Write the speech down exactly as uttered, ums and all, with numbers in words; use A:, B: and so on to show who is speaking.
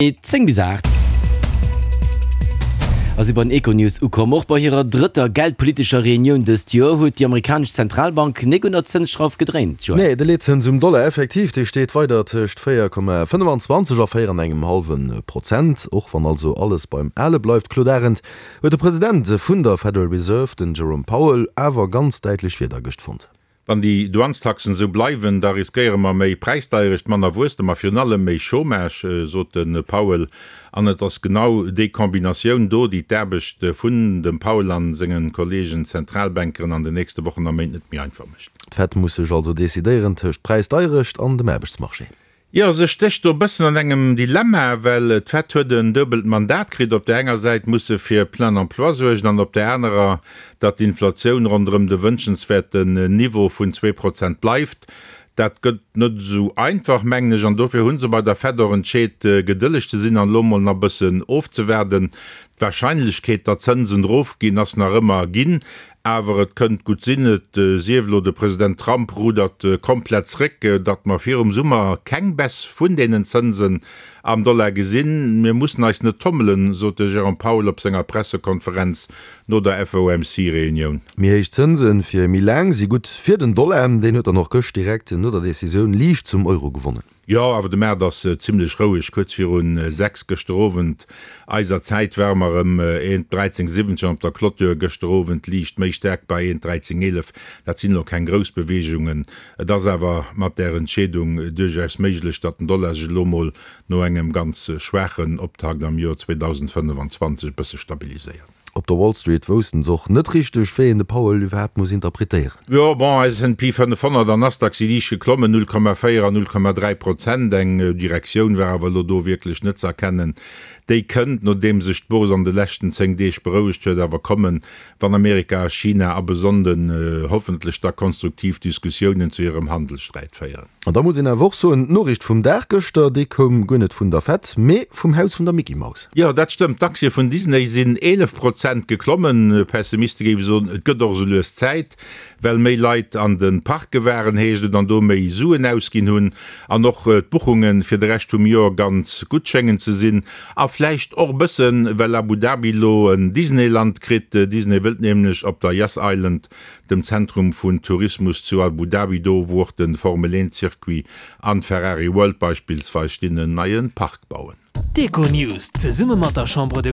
A: Zéng bis aacht a si bei den Econews ukomm. Och bei hirer drëtter geldpolitescher Reunioun dëst Joer huet déi amerikanesch Zentralbank nik un der Zënsschrauf gedréint, Joël.
B: Nee, de Leetzëns um Dollar effektiv, dee steet weider tëscht véier Komma fënnefenzwanzeg a véier an engem hallwe Prozent. Och wann also alles beim Ale bleift, Claude Arend, huet de President vun der Federal Reserve, den Jerome Powell, awer ganz däitlech Wierder gëscht fonnt.
C: Wann déi Douanestaxen esou bleiwen, da riskéiere mer méi Präisdeierecht, manner Wuesstem a virun allem méi Chômage, sot de Powell. An et ass genau déi Kombinatioun do, déi d'Aarbecht vun dem Powell a senge Kolleegen Zentralbankeren an den nächste Wochen a Méint net méi einfach mécht.
B: D'Fed muss sech also decidéieren tëscht Präisdeierecht an dem Aarbechtsmarché.
C: Jo, se stécht do e bëssen an engem Dilemma, well d'Fed huet en duebelt Mandat kritt. Op där enger Säit muss se fir plein emploi suergen an op där anerer, datt d'Inflatioun ronderëm de wënschenswäerten Niveau vun zwee Prozent bleift. Dat gëtt net esou einfach, mengen ech, an dofir hu se bei der Fed och entscheet, gedëlleg ze sinn an elo mol nach e bëssen ofzewaarden. D'Warscheinlechkeet, datt d'Zënsen erofginn, ass nach ëmmer ginn. Awer et kënnt gutt sinn, et sief elo de President Trump rudert komplett zréck, datt mer virum Summer keng Baisse vun deenen Zënsen am Dollar gesinn. Mir mussen eis net tommelen, sot de Jérôme Powell op senger Pressekonferenz no der F O M C Reunioun.
B: Méi héich Zënse fir méi laang si gutt fir den Dollar. Deen huet dann och gëscht direkt no der Decisioun liicht zum Euro gewonnen.
C: Jo, awer de Maart ass zimmlech roueg. Kuerz virun sechs gëschter Owend eiser Zäit ware mer erëm eent dräizéng siwwenzeg an op der Clôture gëschter Owend liicht méi staark bei eent dräizéng eelef. Dat sinn elo keng grouss Beweegungen. Et ass awer mat där Entscheedung duerchaus méiglech, datt den Dollar sech elo mol no engem ganz schwaachen Optakt am Joer zweedausendfënnefenzwanzeg e bësse stabiliséiert.
B: Op der Wall Street woussten se och net richteg, wéi een de Powell iwwerhaapt muss interpretéieren.
C: Jo, bon, S and P fënnefhonnert an Nasdaq si liicht geklommen, null Komma véier an null Komma dräi Prozent. Eng Direktioun war awer elo do wierklech net ze erkennen. Déi kënnt, nodeem sech d'Bourse an de leschten zéng Deeg berouegt huet, awer kommen, wann Amerika a China ab e Sonnden hoffentlech da konstruktiv Diskussiounen zu hirem Handelssträit féieren.
B: An da muss een awer och soen, d'Noriicht vum Dag gëschter, déi koum guer net vun der Fed, mee vum Haus vun der Mickey Maus.
C: Jo, dat stëmmt. D'Aktie vun Disney sinn eelef Prozent geklommen. Pessimiste géife soen, et gëtt och esou lues Zäit, well méi Leit an de Parke waren, heescht et, an do méi Suen ausginn hunn. An och d'Buchunge fir de Rescht vum Joer ganz gutt schéngen ze sinn. A vläicht och e bëssen, well Abu Dhabi elo en Disneyland kritt. Disney wëllt nämlech op der Yas Island, dem Zentrum vun Tourismus zu Abu Dhabi, do wou och de Formel eent Circuit an d'Ferrari World beispillsweis stinn, en neie Park bauen.
D: D'Econews zesumme mat der Chambre de